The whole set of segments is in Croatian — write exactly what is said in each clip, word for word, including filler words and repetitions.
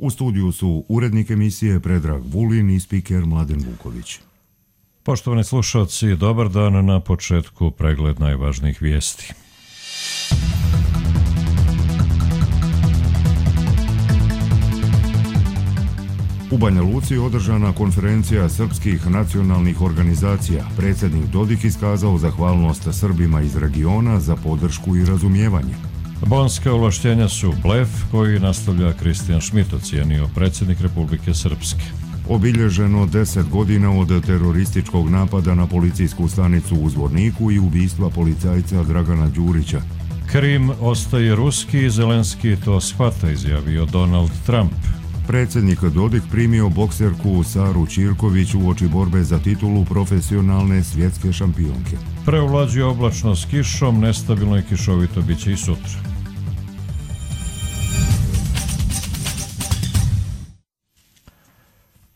U studiju su urednik emisije Predrag Vulin i spiker Mladen Vuković. Poštovani slušalci, dobar dan, na početku pregled najvažnijih vijesti. U Banja Luci je održana konferencija srpskih nacionalnih organizacija. Predsjednik Dodik iskazao zahvalnost Srbima iz regiona za podršku i razumijevanje. Bonska ovlaštenja su blef koji nastavlja Kristijan Šmit, ocijenio predsjednik Republike Srpske. Obilježeno deset godina od terorističkog napada na policijsku stanicu u Zvorniku i ubistva policajca Dragana Đurića. Krim ostaje ruski, Zelenski to shvata, izjavio Donald Trump. Predsjednik Dodik primio bokserku Saru Ćirković uoči borbe za titulu profesionalne svjetske šampionke. Preovlađuje oblačno s kišom, nestabilno i kišovito bit će i sutra.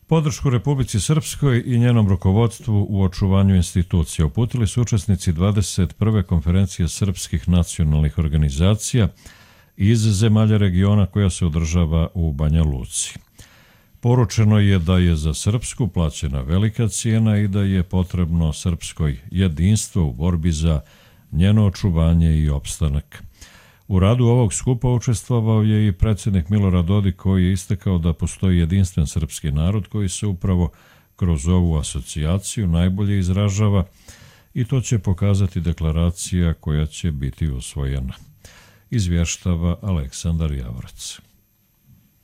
Podršku Republici Srpskoj i njenom rukovodstvu u očuvanju institucija uputili su učesnici dvadeset prve konferencije srpskih nacionalnih organizacija iz zemalja regiona koja se održava u Banja Luci. Poručeno je da je za Srpsku plaćena velika cijena i da je potrebno srpskoj jedinstvo u borbi za njeno očuvanje i opstanak. U radu ovog skupa učestvovao je i predsjednik Milorad Dodik, koji je istakao da postoji jedinstven srpski narod koji se upravo kroz ovu asocijaciju najbolje izražava i to će pokazati deklaracija koja će biti usvojena. Izvještava Aleksandar Javorac.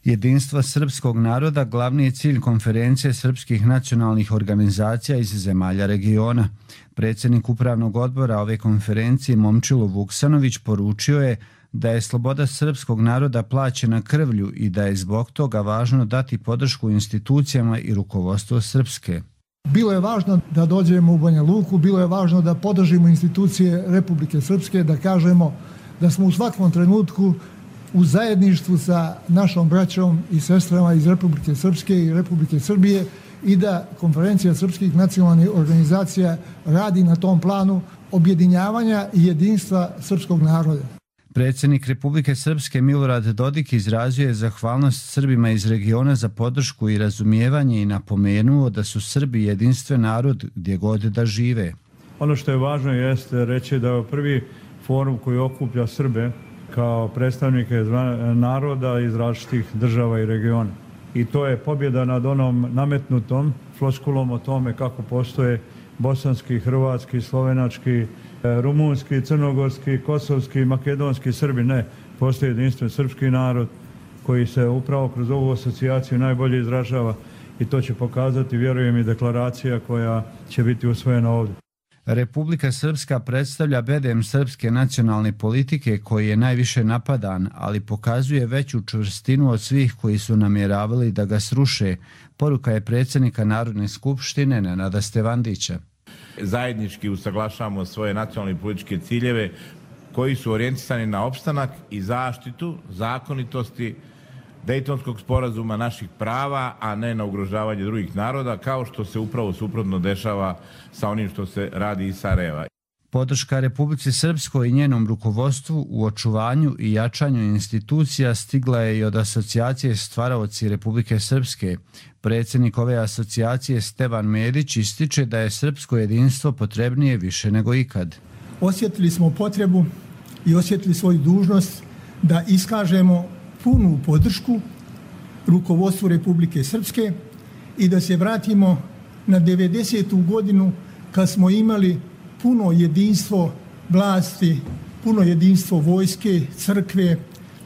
Jedinstvo srpskog naroda glavni je cilj konferencije srpskih nacionalnih organizacija iz zemalja regiona. Predsjednik upravnog odbora ove konferencije Momčilo Vuksanović poručio je da je sloboda srpskog naroda plaćena krvlju i da je zbog toga važno dati podršku institucijama i rukovodstvu Srpske. Bilo je važno da dođemo u Banja Luku, bilo je važno da podržimo institucije Republike Srpske, da kažemo da smo u svakom trenutku u zajedništvu sa našom braćom i sestrama iz Republike Srpske i Republike Srbije i da konferencija srpskih nacionalnih organizacija radi na tom planu objedinjavanja i jedinstva srpskog naroda. Predsjednik Republike Srpske Milorad Dodik izrazio je zahvalnost Srbima iz regiona za podršku i razumijevanje i napomenuo da su Srbi jedinstven narod gdje god da žive. Ono što je važno jeste reći da je prvi forum koji okuplja Srbe kao predstavnike naroda iz različitih država i regiona. I to je pobjeda nad onom nametnutom floskulom o tome kako postoje bosanski, hrvatski, slovenački, rumunski, crnogorski, kosovski, makedonski Srbi. Ne, postoji jedinstven srpski narod koji se upravo kroz ovu asocijaciju najbolje izražava i to će pokazati, vjerujem, i deklaracija koja će biti usvojena ovdje. Republika Srpska predstavlja bedem srpske nacionalne politike koji je najviše napadan, ali pokazuje veću čvrstinu od svih koji su namjeravali da ga sruše. Poruka je predsjednika Narodne skupštine Nenada Stevandića. Zajednički usaglašavamo svoje nacionalne političke ciljeve koji su orijentisani na opstanak i zaštitu zakonitosti Dejtonskog sporazuma, naših prava, a ne na ugrožavanje drugih naroda, kao što se upravo suprotno dešava sa onim što se radi iz Sarajeva. Podrška Republici Srpskoj i njenom rukovodstvu u očuvanju i jačanju institucija stigla je i od asocijacije Stvaraoci Republike Srpske. Predsjednik ove asocijacije Stevan Medić ističe da je srpsko jedinstvo potrebnije više nego ikad. Osjetili smo potrebu i osjetili svoju dužnost da iskažemo punu podršku rukovodstvu Republike Srpske i da se vratimo na devedesetu godinu kad smo imali puno jedinstvo vlasti, puno jedinstvo vojske, crkve.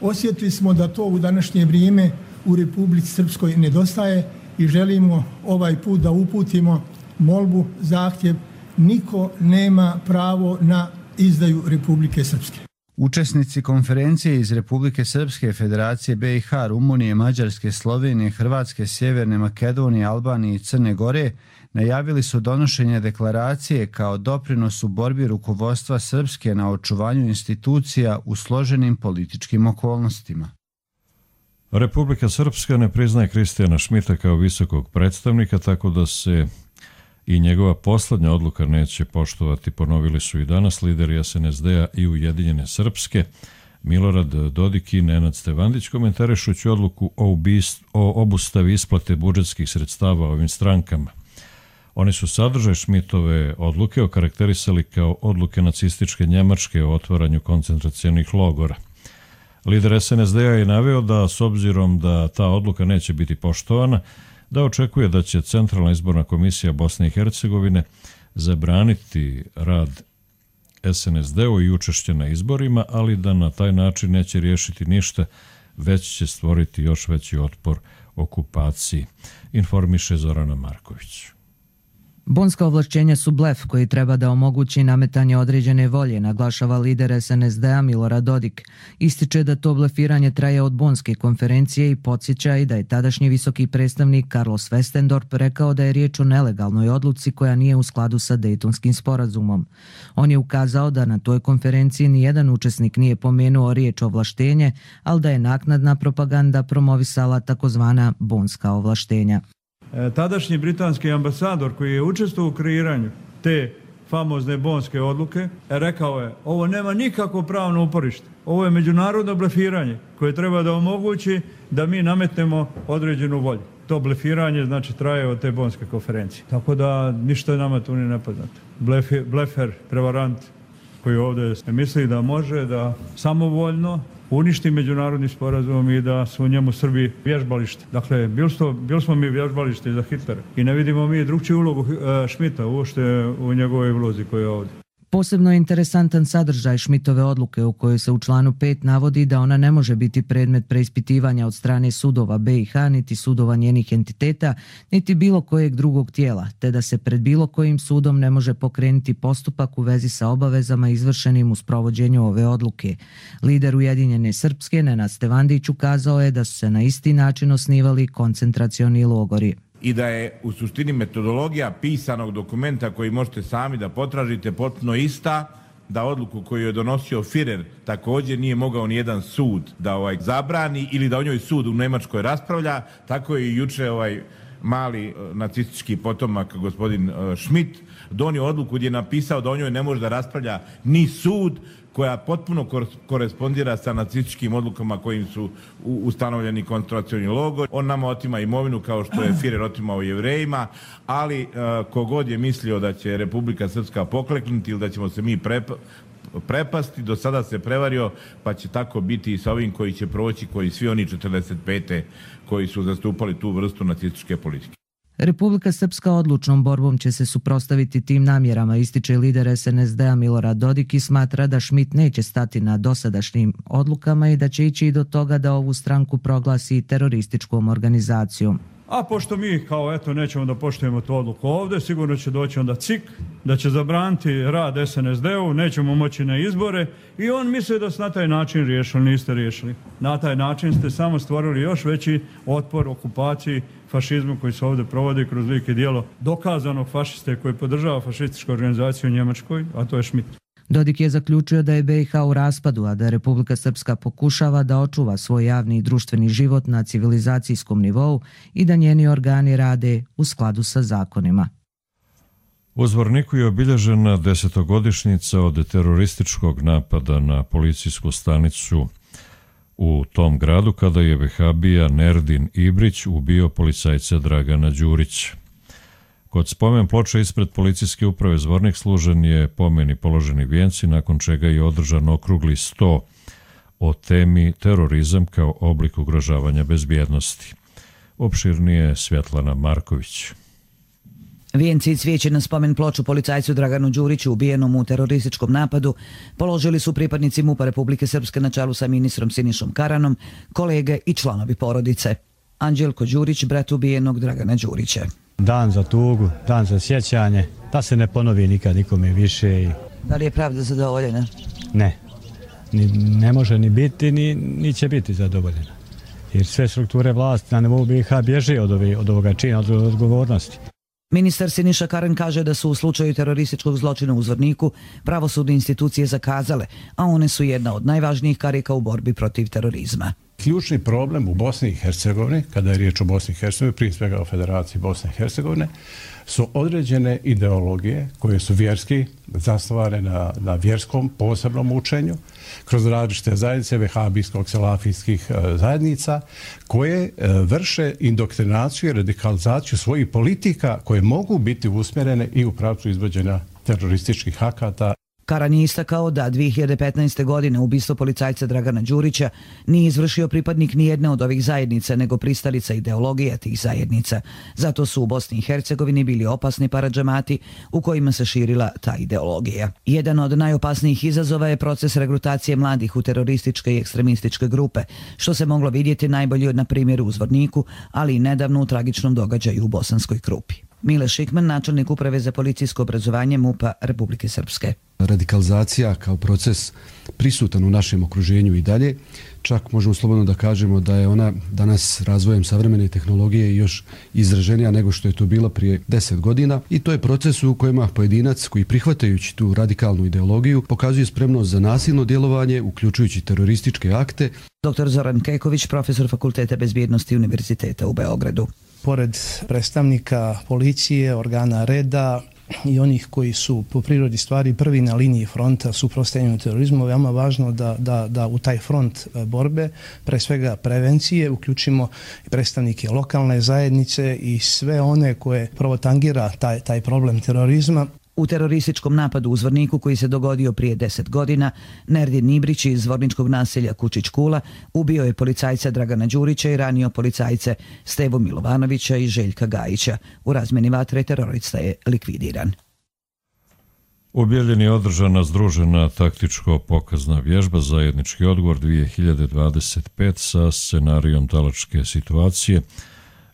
Osjetili smo da to u današnje vrijeme u Republici Srpskoj nedostaje i želimo ovaj put da uputimo molbu, zahtjev. Niko nema pravo na izdaju Republike Srpske. Učesnici konferencije iz Republike Srpske, Federacije be i ha, Rumunije, Mađarske, Slovenije, Hrvatske, Sjeverne Makedonije, Albanije i Crne Gore najavili su donošenje deklaracije kao doprinos u borbi rukovodstva Srpske na očuvanju institucija u složenim političkim okolnostima. Republika Srpska ne priznaje Kristijana Šmita kao visokog predstavnika, tako da se i njegova poslednja odluka neće poštovati, ponovili su i danas lideri es en es de a i Ujedinjene Srpske. Milorad Dodik i Nenad Stevandić komentarišući odluku o, ubist, o obustavi isplate budžetskih sredstava ovim strankama. Oni su sadržaj Šmitove odluke okarakterisali kao odluke nacističke Njemačke o otvaranju koncentracionih logora. Lider es en es de a je naveo da, s obzirom da ta odluka neće biti poštovana, da očekuje da će Centralna izborna komisija Bosne i Hercegovine zabraniti rad es en es de u i učešće na izborima, ali da na taj način neće riješiti ništa, već će stvoriti još veći otpor okupaciji, informiše Zorana Marković. Bonska ovlašćenja su blef koji treba da omogući nametanje određene volje, naglašava lider es en es de a Milorad Dodik. Ističe da to blefiranje traje od Bonske konferencije i podsjeća i da je tadašnji visoki predstavnik Carlos Westendorp rekao da je riječ o nelegalnoj odluci koja nije u skladu sa Dejtonskim sporazumom. On je ukazao da na toj konferenciji nijedan učesnik nije pomenuo riječ ovlaštenje, ali da je naknadna propaganda promovisala takozvana bonska ovlaštenja. Tadašnji britanski ambasador koji je učestvovao u kreiranju te famozne bonske odluke rekao je: ovo nema nikakvo pravno uporište, ovo je međunarodno blefiranje koje treba da omogući da mi nametnemo određenu volju. To blefiranje znači traje od te bonske konferencije. Tako da ništa je nama tu nije nepoznato. Blefer, blefer, prevarant koji ovdje misli da može da samovoljno uništi međunarodni sporazum i da su u njemu Srbi vježbalište. Dakle, bili smo, bili smo mi vježbalište za Hitlera i ne vidimo mi drugčiju ulogu Šmita uopšte u njegovoj ulozi koja je ovdje. Posebno je interesantan sadržaj Šmitove odluke u kojoj se u članu pet navodi da ona ne može biti predmet preispitivanja od strane sudova be i ha, niti sudova njenih entiteta, niti bilo kojeg drugog tijela, te da se pred bilo kojim sudom ne može pokrenuti postupak u vezi sa obavezama izvršenim u sprovođenju ove odluke. Lider Ujedinjene Srpske, Nenad Stevandić, ukazao je da su se na isti način osnivali koncentracioni logori. I da je u suštini metodologija pisanog dokumenta koji možete sami da potražite potpuno ista, da odluku koju je donosio Führer također nije mogao nijedan sud da ovaj zabrani ili da o njoj sud u Nemačkoj raspravlja, tako je i juče ovaj mali nacistički potomak gospodin Schmidt donio odluku gdje je napisao da o njoj ne može da raspravlja ni sud, koja potpuno korespondira sa nacističkim odlukama kojim su ustanovljeni koncentracioni logori. On nama otima imovinu kao što je Führer otimao Jevrejima, ali uh, kogod je mislio da će Republika Srpska pokleknuti ili da ćemo se mi prepa, prepasti, do sada se prevario, pa će tako biti i sa ovim koji će proći, koji svi oni četrdeset pete koji su zastupali tu vrstu nacističke politike. Republika Srpska odlučnom borbom će se suprotstaviti tim namjerama, ističe lider es en es de a Milorad Dodik i smatra da Schmidt neće stati na dosadašnjim odlukama i da će ići i do toga da ovu stranku proglasi terorističkom organizacijom. A pošto mi kao eto nećemo da poštujemo tu odluku ovdje, sigurno će doći onda C I K, da će zabraniti rad es en es de u, nećemo moći na izbore i on misli da ste na taj način riješili, niste riješili. Na taj način ste samo stvorili još veći otpor okupaciji, fašizmu koji se ovdje provodi kroz lik i djelo dokazanog fašiste koji podržava fašističku organizaciju u Njemačkoj, a to je Schmidt. Dodik je zaključio da je be i ha u raspadu, a da Republika Srpska pokušava da očuva svoj javni i društveni život na civilizacijskom nivou i da njeni organi rade u skladu sa zakonima. U Zvorniku je obilježena desetogodišnjica od terorističkog napada na policijsku stanicu u tom gradu kada je vehabija Nerdin Ibrić ubio policajca Dragana Đurića. Kod spomen ploče ispred policijske uprave Zvornik služen je pomen i položeni vijenci, nakon čega je održan okrugli sto o temi terorizam kao oblik ugrožavanja bezbjednosti. Opširnije Svjetlana Marković. Vijenci i cvijeće na spomen ploču policajcu Draganu Đuriću ubijenom u terorističkom napadu položili su pripadnici MUP-a Republike Srpske na čelu sa ministrom Sinišom Karanom, kolege i članovi porodice. Anđelko Đurić, brat ubijenog Dragana Đurića. Dan za tugu, dan za sjećanje, da se ne ponovi nikad nikome više. I... Da li je pravda zadovoljena? Ne, ni, ne može ni biti, ni, ni će biti zadovoljena. Jer sve strukture vlasti na nivou be i ha bježe od, ove, od ovoga čina, od odgovornosti. Ministar Siniša Karan kaže da su u slučaju terorističkog zločina u Zvorniku pravosudne institucije zakazale, a one su jedna od najvažnijih karika u borbi protiv terorizma. Ključni problem u Bosni i Hercegovini, kada je riječ o Bosni i Hercegovini, prije svega o Federaciji Bosne i Hercegovine, su određene ideologije koje su vjerski, zasnovane na, na vjerskom posebnom učenju, kroz različite zajednice vehabijskog, selafijskih e, zajednica, koje e, vrše indoktrinaciju i radikalizaciju svojih politika koje mogu biti usmjerene i u pravcu izvođenja terorističkih akata. Karan je istakao da dvije hiljade petnaeste. godine ubistvo policajca Dragana Đurića nije izvršio pripadnik nijedne od ovih zajednica, nego pristalica ideologija tih zajednica. Zato su u Bosni i Hercegovini bili opasni paradžamati u kojima se širila ta ideologija. Jedan od najopasnijih izazova je proces regrutacije mladih u terorističke i ekstremističke grupe, što se moglo vidjeti najbolje na primjeru u Zvorniku, ali i nedavno u tragičnom događaju u Bosanskoj Krupi. Mile Šikman, načelnik Uprave za policijsko obrazovanje MUP-a Republike Srpske. Radikalizacija kao proces prisutan u našem okruženju i dalje. Čak možemo slobodno da kažemo da je ona danas razvojem savremene tehnologije još izraženija nego što je to bilo prije deset godina. I to je proces u kojima pojedinac koji prihvatajući tu radikalnu ideologiju pokazuje spremnost za nasilno djelovanje, uključujući terorističke akte. doktor Zoran Keković, profesor Fakulteta bezbjednosti Univerziteta u Beogradu. Pored predstavnika policije, organa reda i onih koji su po prirodi stvari prvi na liniji fronta suprotstavljanju terorizmu, veoma važno da, da, da u taj front borbe, pre svega prevencije, uključimo predstavnike lokalne zajednice i sve one koje prvo tangira taj, taj problem terorizma. U terorističkom napadu u Zvorniku koji se dogodio prije deset godina, Nerdin Nibrić iz zvorničkog naselja Kučić Kula ubio je policajca Dragana Đurića i ranio policajce Stevu Milovanovića i Željka Gajića. U razmjeni vatre terorista je likvidiran. U Bijeljini je održana združena taktičko-pokazna vježba Zajednički odgovor dvije hiljade dvadeset pet sa scenarijom talačke situacije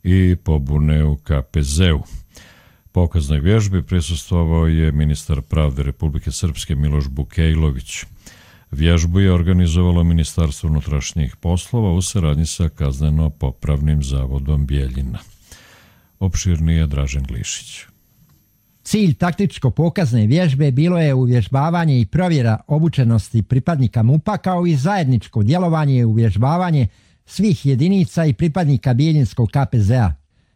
i pobune u K P Z-u. Pokaznoj vježbi prisustvovao je ministar pravde Republike Srpske Miloš Bukejlović. Vježbu je organizovalo Ministarstvo unutrašnjih poslova u saradnji sa Kazneno-popravnim zavodom Bijeljina. Opširnije Dražen Glišić. Cilj taktičko-pokazne vježbe bilo je uvježbavanje i provjera obučenosti pripadnika MUP-a kao i zajedničko djelovanje i uvježbavanje svih jedinica i pripadnika Bijeljinskog K P Z-a.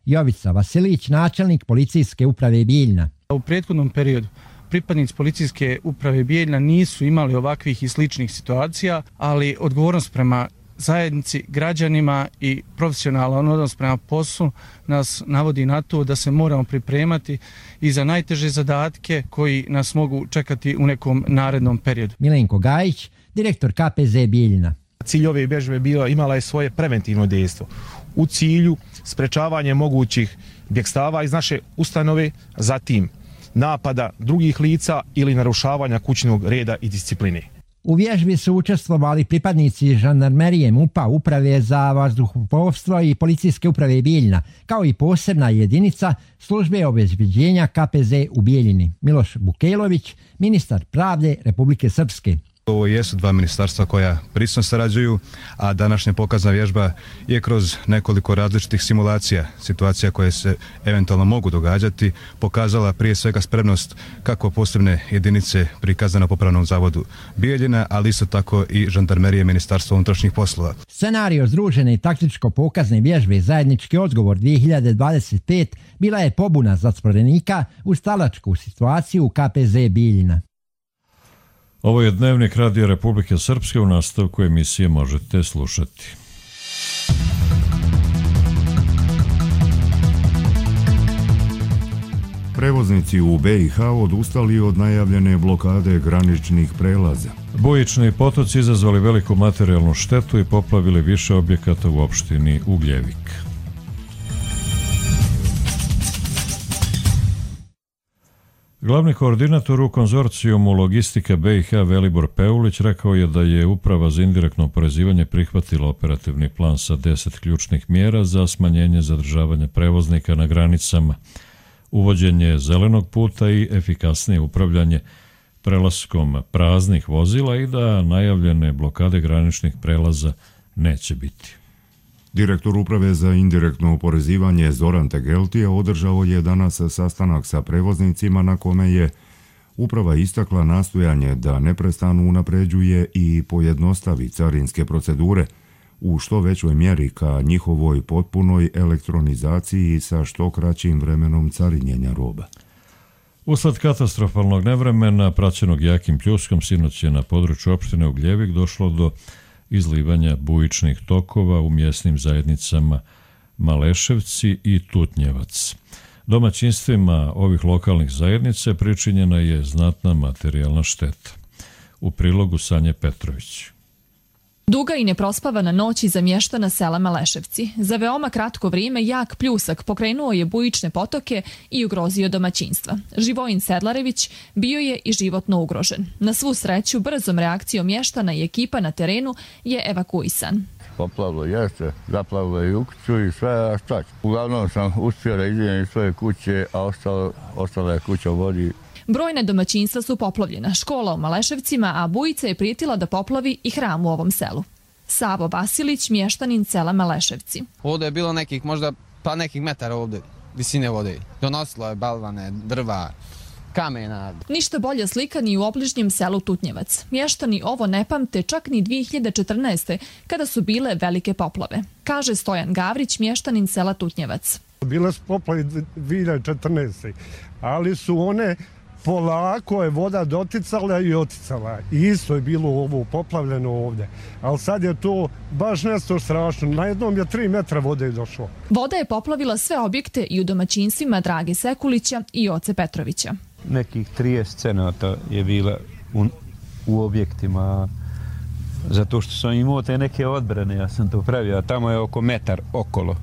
Jovica Vasilić, načelnik policijske uprave Bijeljina. U prethodnom periodu pripadnici policijske uprave Bijeljina nisu imali ovakvih i sličnih situacija, ali odgovornost prema zajednici, građanima i profesionalan odnos prema poslu nas navodi na to da se moramo pripremati i za najteže zadatke koji nas mogu čekati u nekom narednom periodu. Milenko Gajić, direktor K P Z Bijeljina. Cilj ove vježbe bila, imala je svoje preventivno dejstvo u cilju sprečavanja mogućih bjegstava iz naše ustanove, zatim napada drugih lica ili narušavanja kućnog reda i discipline. U vježbi su učestvovali pripadnici žandarmerije MUP-a, uprave za vazduhoplovstvo i policijske uprave Bijeljina, kao i posebna jedinica službe obezbeđenja K P Z u Bijeljini. Miloš Bukejlović, ministar pravde Republike Srpske. Ovo jesu dva ministarstva koja prisno sarađuju, a današnja pokazna vježba je kroz nekoliko različitih simulacija, situacija koje se eventualno mogu događati, pokazala prije svega spremnost kako posebne jedinice pri Kazneno-popravnom zavodu Bijeljina, ali isto tako i žandarmerije Ministarstva unutrašnjih poslova. Scenario združene taktičko-pokazne vježbe Zajednički odgovor dvije hiljade dvadeset pet bila je pobuna zatvorenika u talačku situaciju u K P Z Bijeljina. Ovo je Dnevnik Radija Republike Srpske, u nastavku emisije možete slušati. Prevoznici u B i H odustali od najavljene blokade graničnih prelaza. Bujični potoci izazvali veliku materijalnu štetu i poplavili više objekata u opštini Ugljevik. Glavni koordinator u konzorcijumu Logistika B i H Velibor Peulić rekao je da je Uprava za indirektno oporezivanje prihvatila operativni plan sa deset ključnih mjera za smanjenje zadržavanja prevoznika na granicama, uvođenje zelenog puta i efikasnije upravljanje prelaskom praznih vozila i da najavljene blokade graničnih prelaza neće biti. Direktor Uprave za indirektno oporezivanje Zoran Tegeltija održao je danas sastanak sa prevoznicima na kome je Uprava istakla nastojanje da neprestano unapređuje i pojednostavi carinske procedure, u što većoj mjeri ka njihovoj potpunoj elektronizaciji sa što kraćim vremenom carinjenja roba. Usled katastrofalnog nevremena, praćenog jakim pljuskom, sinoć je na području opštine Ugljevik došlo do izlivanja bujičnih tokova u mjesnim zajednicama Maleševci i Tutnjevac. Domaćinstvima ovih lokalnih zajednica pričinjena je znatna materijalna šteta. U prilogu Sanje Petrović. Duga i neprospavana noć iza mještana sela Maleševci. Za veoma kratko vrijeme jak pljusak pokrenuo je bujične potoke i ugrozio domaćinstva. Živojin Sedlarević bio je i životno ugrožen. Na svu sreću, brzom reakcijom mještana i ekipa na terenu je evakuisan. Poplavilo jeste, zaplavilo je kuću i sve, a šta ću. Uglavnom sam uspio da izvijem iz svoje kuće, a ostalo, ostala je kuća u vodi. Brojne domaćinstva su poplavljena, škola u Maleševcima, a bujica je prijetila da poplavi i hram u ovom selu. Savo Vasilić, mještanin sela Maleševci. Ovdje je bilo nekih možda pa nekih metara ovdje visine vode. Donosilo je balvane, drva, kamena. Ništa bolja slika ni u obližnjem selu Tutnjevac. Mještani ovo ne pamte čak ni dvije hiljade četrnaeste. kada su bile velike poplave. Kaže Stojan Gavrić, mještanin sela Tutnjevac. Bile su poplave dvije hiljade četrnaeste. ali su one polako je voda doticala i oticala. I isto je bilo ovo poplavljeno ovdje. Ali sad je to baš nešto strašno. Na jednom je tri metra vode došlo. Voda je poplavila sve objekte i u domaćinstvima Drage Sekulića i Joce Petrovića. Nekih trideset scenata je bila u, u objektima, zato što sam imao te neke odbrane, ja sam to pravio, a tamo je oko metar okolo,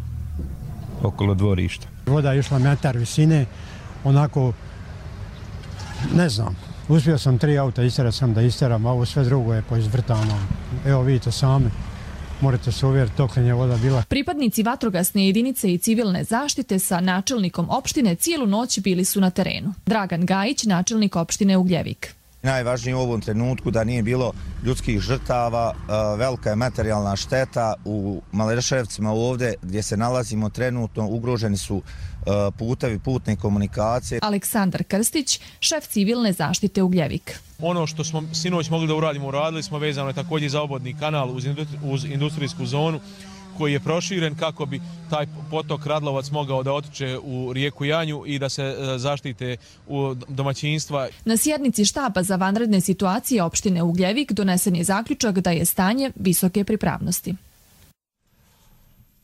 okolo dvorišta. Voda je išla metar visine, onako, ne znam, uspio sam tri auta isterati sam da isteram, a ovo sve drugo je poizvrtano. Evo vidite sami, morate se uvjeriti doklen je voda bila. Pripadnici vatrogasne jedinice i civilne zaštite sa načelnikom opštine cijelu noć bili su na terenu. Dragan Gajić, načelnik opštine Ugljevik. Najvažnije u ovom trenutku da nije bilo ljudskih žrtava, velika je materijalna šteta u Maleševcima ovdje gdje se nalazimo trenutno, ugroženi su putevi, putne komunikacije. Aleksandar Krstić, šef civilne zaštite Ugljevik. Ono što smo sinoć mogli da uradimo, uradili smo, vezano je također za obodni kanal uz industrijsku zonu koji je proširen kako bi taj potok Radlovac mogao da otiče u rijeku Janju i da se zaštite u domaćinstva. Na sjednici štaba za vanredne situacije opštine Ugljevik donesen je zaključak da je stanje visoke pripravnosti.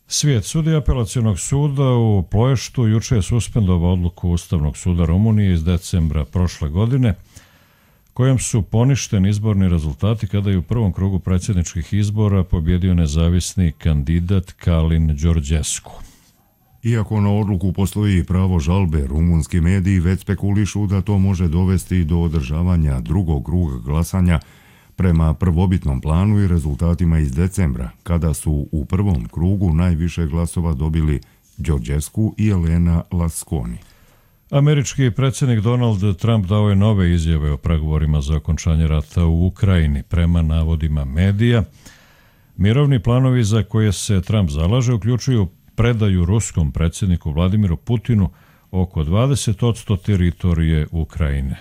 Svijet sudija apelacionog suda u Ploještu juče je suspendovao odluku Ustavnog suda Rumunije iz decembra prošle godine, kojom su poništeni izborni rezultati kada je u prvom krugu predsjedničkih izbora pobjedio nezavisni kandidat Kalin Đorđescu. Iako na odluku postoji pravo žalbe, rumunski mediji već spekulišu da to može dovesti do održavanja drugog kruga glasanja prema prvobitnom planu i rezultatima iz decembra, kada su u prvom krugu najviše glasova dobili Đorđescu i Elena Lasconi. Američki predsjednik Donald Trump dao je nove izjave o pregovorima za okončanje rata u Ukrajini. Prema navodima medija, mirovni planovi za koje se Trump zalaže uključuju predaju ruskom predsjedniku Vladimiru Putinu oko dvadeset posto teritorije Ukrajine.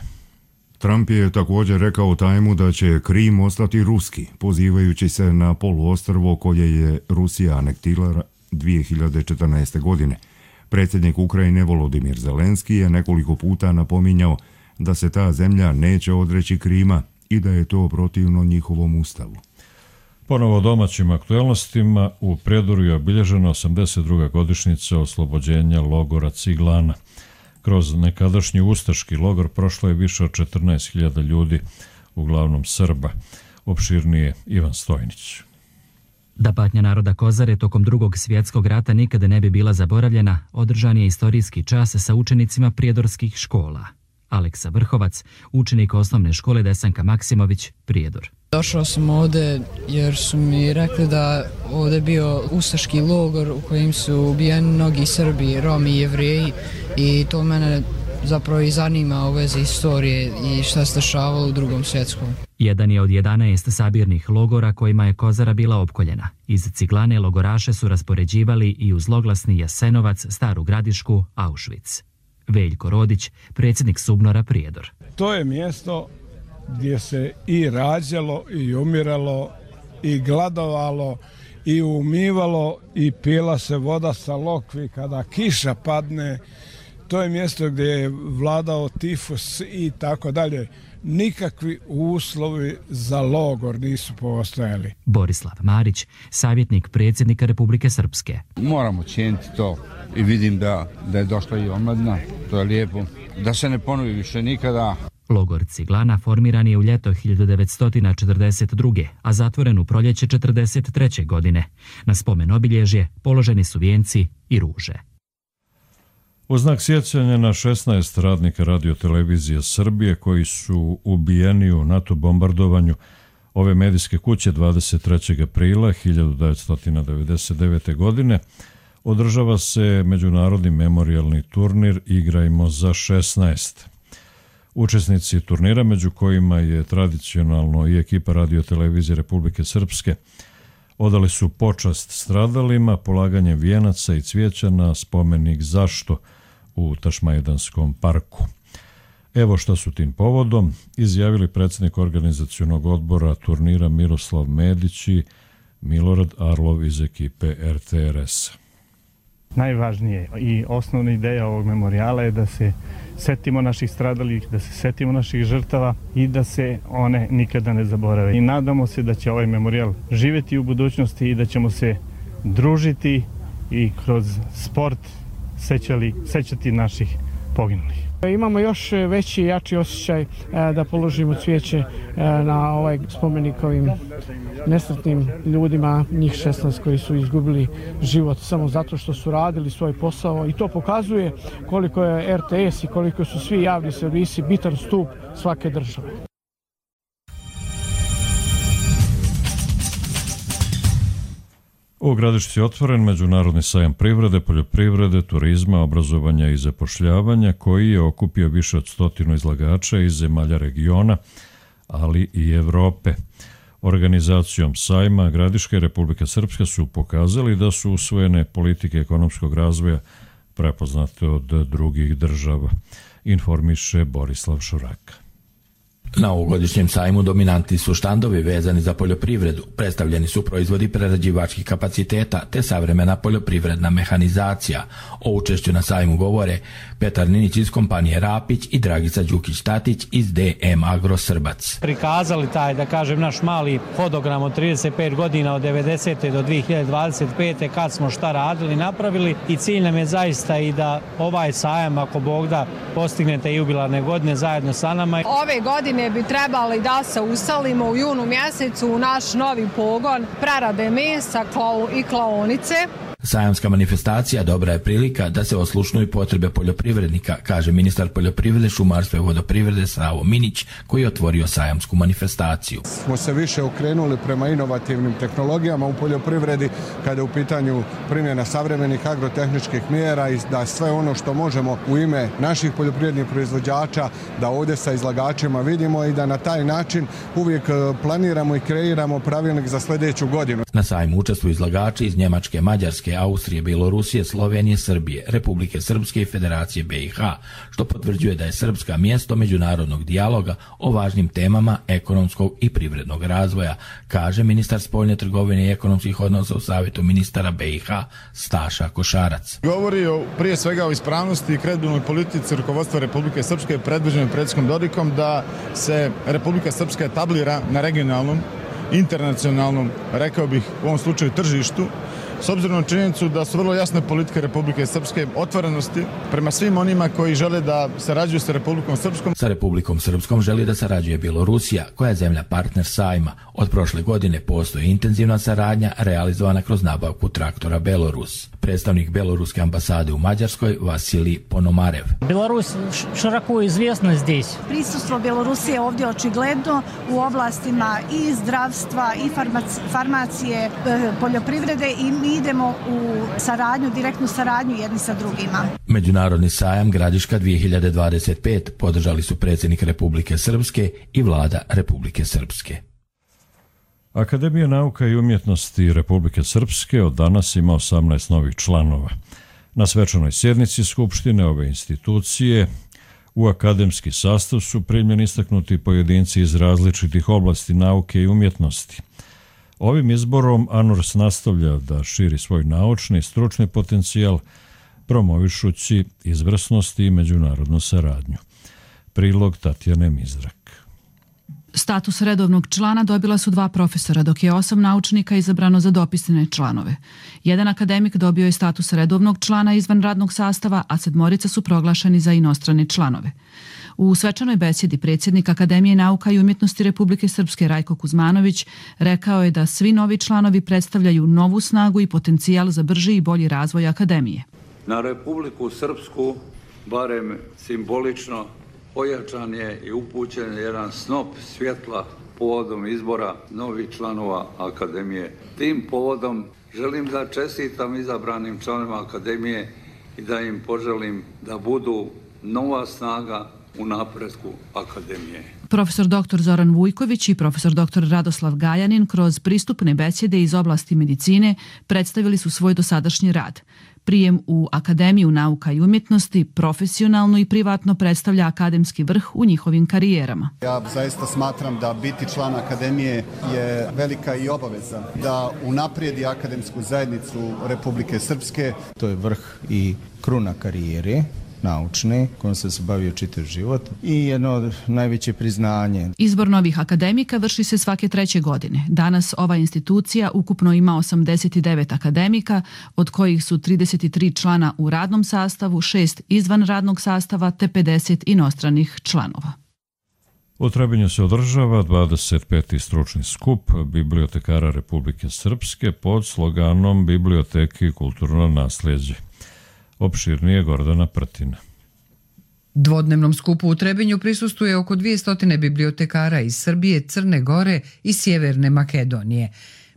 Trump je također rekao Tajmu da će Krim ostati ruski, pozivajući se na poluostrvo koje je Rusija anektirala dvije hiljade četrnaeste. godine. Predsjednik Ukrajine Volodimir Zelenski je nekoliko puta napominjao da se ta zemlja neće odreći Krima i da je to protivno njihovom ustavu. Ponovo domaćim aktualnostima, u Prijedoru je obilježena osamdeset druga godišnjica oslobođenja logora Ciglana. Kroz nekadašnji ustaški logor prošlo je više od četrnaest hiljada ljudi, uglavnom Srba. Opširnije Ivan Stojnić. Da patnja naroda Kozare tokom drugog svjetskog rata nikada ne bi bila zaboravljena, održan je istorijski čas sa učenicima prijedorskih škola. Aleksa Vrhovac, učenik osnovne škole Desanka Maksimović, Prijedor. Došao sam ovdje jer su mi rekli da ovdje bio ustaški logor u kojem su ubijeni mnogi Srbi, Romi i Jevreji i to mene zapravo i zanima u vezi istorije i šta se dešavalo u drugom svjetskom. Jedan je od jedanaest sabirnih logora kojima je Kozara bila opkoljena. Iz Ciglane logoraše su raspoređivali i u zloglasni Jasenovac, Staru Gradišku, Auschwitz. Veljko Rodić, predsjednik Subnora Prijedor. To je mjesto gdje se i rađalo i umiralo i gladovalo i umivalo i pila se voda sa lokvi kada kiša padne. To je mjesto gdje je vladao tifus i tako dalje. Nikakvi uslovi za logor nisu postojali. Borislav Marić, savjetnik predsjednika Republike Srpske. Moramo cijeniti to i vidim da, da je došla i omladina, to je lijepo. Da se ne ponovi više nikada. Logor Ciglana formiran je u ljeto hiljadu devetsto četrdeset druge. a zatvoren u proljeće četrdeset treće godine. Na spomen obilježje položeni su vijenci i ruže. U znak sjećanja na šesnaest radnika radiotelevizije Srbije koji su ubijeni u NATO bombardovanju ove medijske kuće dvadeset trećeg aprila hiljadu devetsto devedeset devete. godine održava se međunarodni memorijalni turnir Igrajmo za šesnaest. Učesnici turnira, među kojima je tradicionalno i ekipa radiotelevizije Republike Srpske, odali su počast stradalima polaganjem vijenaca i cvijeća na spomenik Zašto u Tašmajdanskom parku. Evo šta su tim povodom izjavili predsjednik organizacionog odbora turnira Miroslav Medić i Milorad Arlov iz ekipe er te er es. Najvažnije i osnovna ideja ovog memorijala je da se setimo naših stradalih, da se setimo naših žrtava i da se one nikada ne zaborave. I nadamo se da će ovaj memorijal živjeti u budućnosti i da ćemo se družiti i kroz sport sećali, sećati naših poginulih. Imamo još veći i jači osjećaj da položimo cvijeće na ovaj spomenik ovim nesretnim ljudima, njih šesnaest koji su izgubili život samo zato što su radili svoj posao i to pokazuje koliko je er te es i koliko su svi javni servisi bitan stup svake države. U Gradišci je otvoren Međunarodni sajam privrede, poljoprivrede, turizma, obrazovanja i zapošljavanja koji je okupio više od stotinu izlagača iz zemalja regiona, ali i Evrope. Organizacijom sajma Gradiška i Republika Srpska su pokazali da su usvojene politike ekonomskog razvoja prepoznate od drugih država, informiše Borislav Šuraka. Na ovogodišnjem sajmu dominantni su štandovi vezani za poljoprivredu, predstavljeni su proizvodi prerađivačkih kapaciteta te savremena poljoprivredna mehanizacija. O učešću na sajmu govore Petar Ninić iz kompanije Rapić i Dragica Đukić-Tatić iz de em Agro Srbac. Prikazali taj, da kažem, naš mali hodogram od trideset pet godina od devedesete do dve hiljade dvadeset pete kad smo šta radili, napravili i cilj nam je zaista i da ovaj sajam, ako Bog da, postignete jubilarne godine zajedno sa nama. Ove godine bi trebali da se uselimo u junu mjesecu u naš novi pogon prerade mesa i klaonice. Sajamska manifestacija dobra je prilika da se oslušnuju potrebe poljoprivrednika, kaže ministar poljoprivrede, šumarstva i vodoprivrede Savo Minić, koji je otvorio sajamsku manifestaciju. Smo se više okrenuli prema inovativnim tehnologijama u poljoprivredi kada je u pitanju primjena savremenih agrotehničkih mjera i da sve ono što možemo u ime naših poljoprivrednih proizvođača da ovdje sa izlagačima vidimo i da na taj način uvijek planiramo i kreiramo pravilnik za sljedeću godinu. Na sajmu učestvuju izlagači iz Njemačke, Mađarske, Austrije, Bjelorusije, Slovenije, Srbije, Republike Srpske i Federacije be i ha, što potvrđuje da je Srpska mjesto međunarodnog dijaloga o važnim temama ekonomskog i privrednog razvoja, kaže ministar spoljne trgovine i ekonomskih odnosa u Savjetu ministara be i ha Staša Košarac. Govori o, prije svega o ispravnosti i kredibilnoj politici rukovodstva Republike Srpske predvođenom predsjednikom Dodikom da se Republika Srpska etablira na regionalnom, internacionalnom, rekao bih u ovom slučaju tržištu, s obzirom na činjenicu da su vrlo jasne politike Republike Srpske otvorenosti prema svim onima koji žele da sarađuju sa Republikom Srpskom. Sa Republikom Srpskom želi da sarađuje Bjelorusija, koja je zemlja partner sajma. Od prošle godine postoji intenzivna saradnja realizovana kroz nabavku traktora Belorus. Predstavnik Beloruske ambasade u Mađarskoj Vasilij Ponomarev. Беларусь широко известна здесь. Prisustvo Bjelorusije ovdje očigledno u oblastima i zdravstva i farmacije, poljoprivrede i mi idemo u saradnju, direktnu saradnju jedni sa drugima. Međunarodni sajam Gradiška dve hiljade dvadeset pet podržali su predsjednik Republike Srpske i vlada Republike Srpske. Akademija nauka i umjetnosti Republike Srpske od danas ima osamnaest novih članova. Na svečanoj sjednici Skupštine ove institucije u akademski sastav su primljeni istaknuti pojedinci iz različitih oblasti nauke i umjetnosti. Ovim izborom ANURS nastavlja da širi svoj naučni i stručni potencijal, promovišući izvrsnost i međunarodnu saradnju. Prilog Tatjane Mizrak. Status redovnog člana dobila su dva profesora, dok je osam naučnika izabrano za dopisne članove. Jedan akademik dobio je status redovnog člana izvan radnog sastava, a sedmorica su proglašeni za inostrane članove. U svečanoj besjedi predsjednik Akademije nauka i umjetnosti Republike Srpske Rajko Kuzmanović rekao je da svi novi članovi predstavljaju novu snagu i potencijal za brži i bolji razvoj Akademije. Na Republiku Srpsku, barem simbolično, ojačan je i upućen jedan snop svjetla povodom izbora novih članova Akademije. Tim povodom želim da čestitam izabranim članovima Akademije i da im poželim da budu nova snaga u napretku Akademije. Profesor doktor Zoran Vujković i profesor doktor Radoslav Gajanin kroz pristupne besjede iz oblasti medicine predstavili su svoj dosadašnji rad. Prijem u Akademiju nauka i umjetnosti profesionalno i privatno predstavlja akademski vrh u njihovim karijerama. Ja zaista smatram da biti član Akademije je velika i obaveza da unaprijedi akademsku zajednicu Republike Srpske. To je vrh i kruna karijere naučne, kojom sam se bavio čitav život i jedno od najveće priznanje. Izbor novih akademika vrši se svake treće godine. Danas ova institucija ukupno ima osamdeset devet akademika, od kojih su trideset tri člana u radnom sastavu, šest izvan radnog sastava te pedeset inostranih članova. U Trebinju se održava dvadeset peti stručni skup bibliotekara Republike Srpske pod sloganom Biblioteke i kulturno nasljeđe. Opširnije Gordana Prtina. Dvodnevnom skupu u Trebinju prisustuje oko dvjesto bibliotekara iz Srbije, Crne Gore i Sjeverne Makedonije.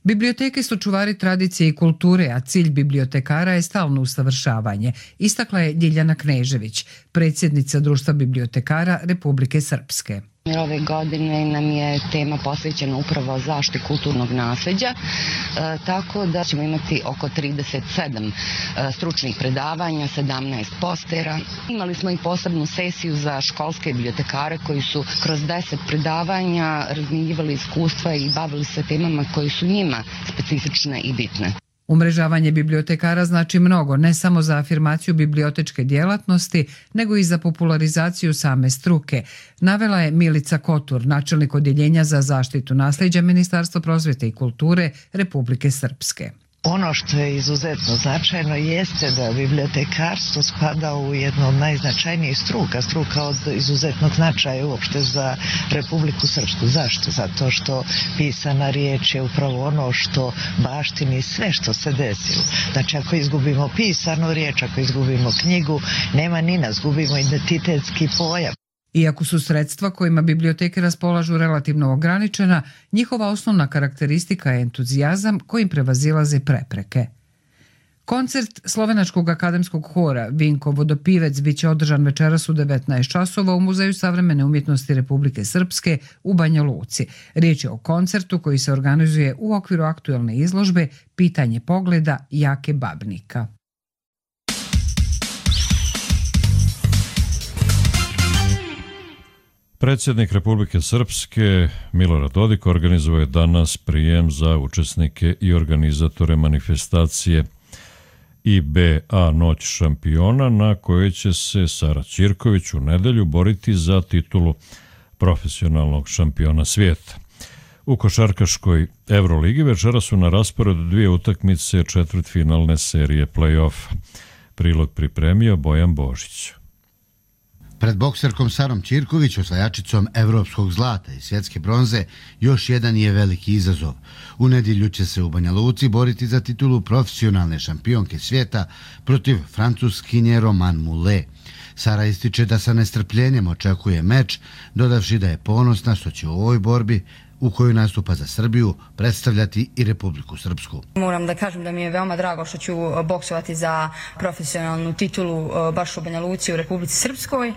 Biblioteke su čuvari tradicije i kulture, a cilj bibliotekara je stalno usavršavanje, istakla je Ljiljana Knežević, predsjednica Društva bibliotekara Republike Srpske. Ove godine nam je tema posvećena upravo zaštiti kulturnog nasljeđa, e, tako da ćemo imati oko trideset sedam e, stručnih predavanja, sedamnaest postera. Imali smo i posebnu sesiju za školske bibliotekare koji su kroz deset predavanja razmjenjivali iskustva i bavili se temama koji su njima specifične i bitne. Umrežavanje bibliotekara znači mnogo, ne samo za afirmaciju bibliotečke djelatnosti, nego i za popularizaciju same struke, navela je Milica Kotur, načelnik odjeljenja za zaštitu nasljeđa Ministarstva prosvjete i kulture Republike Srpske. Ono što je izuzetno značajno jeste da bibliotekarstvo spada u jednu od najznačajnijih struka, struka od izuzetnog značaja uopšte za Republiku Srpsku. Zašto? Zato što pisana riječ je upravo ono što baštini sve što se desilo. Znači ako izgubimo pisanu riječ, ako izgubimo knjigu, nema ni nas, gubimo identitetski pojam. Iako su sredstva kojima biblioteke raspolažu relativno ograničena, njihova osnovna karakteristika je entuzijazam kojim prevazilaze prepreke. Koncert Slovenačkog akademskog hora Vinko Vodopivec biće održan večeras u devetnaest časova u Muzeju savremene umjetnosti Republike Srpske u Banja Luci. Riječ je o koncertu koji se organizuje u okviru aktuelne izložbe Pitanje pogleda Jake Babnika. Predsjednik Republike Srpske Milorad Dodik organizovao je danas prijem za učesnike i organizatore manifestacije I B A Noć šampiona, na kojoj će se Sara Ćirković u nedelju boriti za titulu profesionalnog šampiona svijeta. U košarkaškoj Euroligi večera su na rasporedu dvije utakmice četvrtfinalne serije play-offa. Prilog pripremio Bojan Božić. Pred bokserkom Sarom Ćirković, osvajačicom evropskog zlata i svjetske bronze, još jedan je veliki izazov. U nedjelju će se u Banja Luci boriti za titulu profesionalne šampionke svijeta protiv Francuskinje Roman Moulet. Sara ističe da sa nestrpljenjem očekuje meč, dodavši da je ponosna što će u ovoj borbi u kojoj nastupa za Srbiju predstavljati i Republiku Srpsku. Moram da kažem da mi je veoma drago što ću boksovati za profesionalnu titulu baš u Banja Luci u Republici Srpskoj.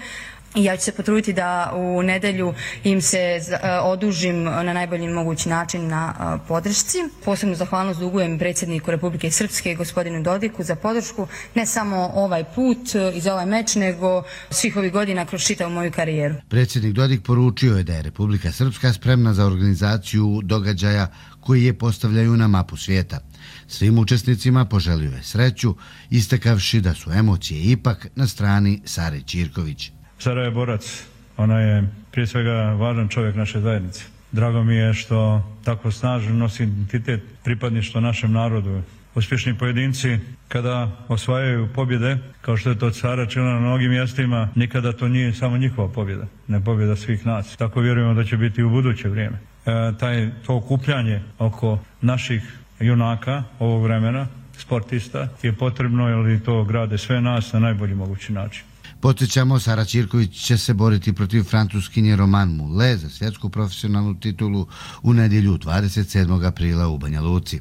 I ja ću se potruditi da u nedelju im se odužim na najbolji mogući način na podršci. Posebnu zahvalnost dugujem predsjedniku Republike Srpske, gospodinu Dodiku, za podršku, ne samo ovaj put i za ovaj meč, nego svih ovih godina kroz čitavu moju karijeru. Predsjednik Dodik poručio je da je Republika Srpska spremna za organizaciju događaja koji je postavljaju na mapu svijeta. Svim učesnicima poželio je sreću, istakavši da su emocije ipak na strani Sare Ćirković. Sara je borac, ona je prije svega važan čovjek naše zajednice. Drago mi je što tako snažno nosi identitet pripadništva našem narodu. Uspješni pojedinci kada osvajaju pobjede, kao što je to Sara činila na mnogim mjestima, nikada to nije samo njihova pobjeda, ne pobjeda svih nas. Tako vjerujemo da će biti u buduće vrijeme. E, taj, to okupljanje oko naših junaka ovog vremena, sportista, je potrebno jer to grade sve nas na najbolji mogući način. Podsjećamo, Sara Ćirković će se boriti protiv Francuskinje Romane Moulet za svjetsku profesionalnu titulu u nedjelju dvadeset sedmog aprila u Banja Luci.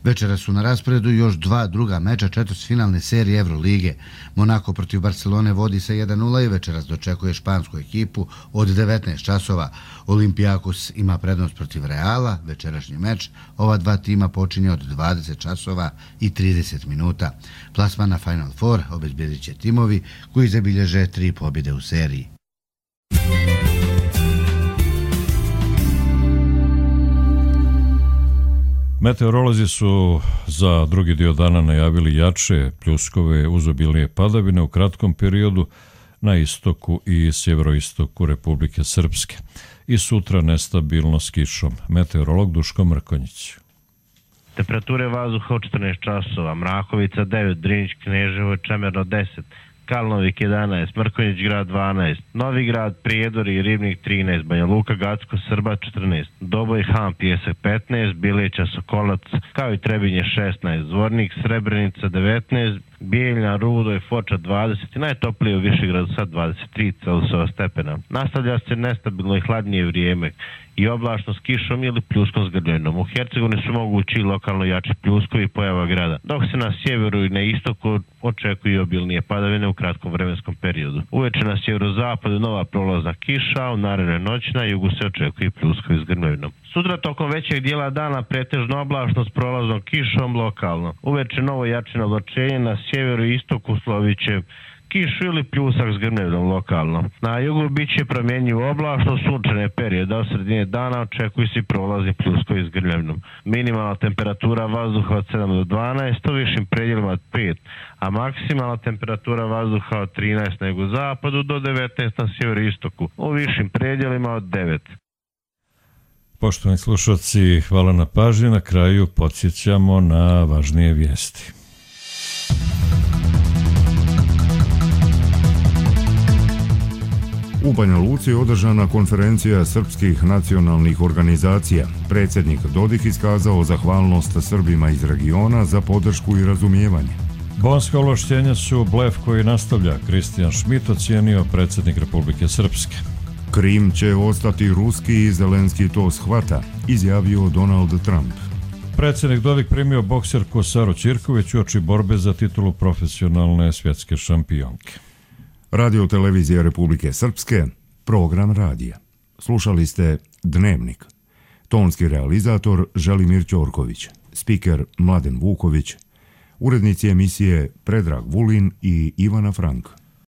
Večera su na rasporedu još dva druga meča četvrtfinalne serije Evrolige. Monako protiv Barcelone vodi se jedan nula i večeras dočekuje špansku ekipu od devetnaest časova. Olympiakos ima prednost protiv Reala. Večerašnji meč ova dva tima počinje od dvadeset časova i trideset minuta. Plasman na Final Four obezbjedit će timovi koji zabilježe tri pobjede u seriji. Meteorolozi su za drugi dio dana najavili jače pljuskove uz obilnije padavine u kratkom periodu na istoku i sjeveroistoku Republike Srpske i sutra nestabilno s kišom. Meteorolog Duško Mrkonjić. Temperature vazduha od četrnaest časova, Mrakovica devet, Drinić, Kneževo, Čemerno deset, Kalnovik jedanaest, Mrkonjić grad dvanaest, Novi grad, Prijedor i Ribnik trinaest, Banja Luka, Gacko, Srba četrnaest, Doboj, Han, Pijesak petnaest, Bileća, Sokolac, kao i Trebinje šesnaest, Zvornik, Srebrenica devetnaest, Bijeljna, Rudo i Foča dvadeset i najtoplije u Višegradu sad dvadeset tri Celzijusova stepena. Nastavlja se nestabilno i hladnije vrijeme i oblačno s kišom ili pljuskom s grljenom. U Hercegovini su mogući lokalno jači pljuskovi i pojava grada, dok se na sjeveru i na istoku očekuju obilnije padavine u kratkom vremenskom periodu. Uveče na sjeverozapadu nova prolazna kiša, a u narednoj noći na jugu se očekuju pljuskovi s grljenom. Sutra tokom većeg dijela dana pretežno oblačno s prolaznom kišom lokalno. Uveče novo jačino oblačenje, na sjeveru i istoku slovit će kišu ili pljusak s grmljevom lokalno. Na jugu bit će promjenjivo oblačno sunčane periode, od sredine dana očekuju se prolazni pljuskovi s grmljevom. Minimalna temperatura vazduha od sedam do dvanaest, u višim predjelima od pet, a maksimalna temperatura vazduha od trinaest na jugozapadu do devetnaest na sjeveru i istoku, u višim predjelima od devet. Poštovani slušalci, hvala na pažnji. Na kraju podsjećamo na važnije vijesti. U Banja Luci je održana konferencija srpskih nacionalnih organizacija. Predsjednik Dodik iskazao zahvalnost Srbima iz regiona za podršku i razumijevanje. Bonska ovlaštenja su blef koji nastavlja, Kristijan Šmit ocijenio predsjednik Republike Srpske. Krim će ostati ruski i Zelenski to shvata, izjavio Donald Trump. Predsjednik Dodik primio bokserku Saru Ćirković uoči borbe za titulu profesionalne svjetske šampionke. Radio televizija Republike Srpske, program radija. Slušali ste Dnevnik. Tonski realizator Želimir Ćorković, spiker Mladen Vuković, urednici emisije Predrag Vulin i Ivana Frank.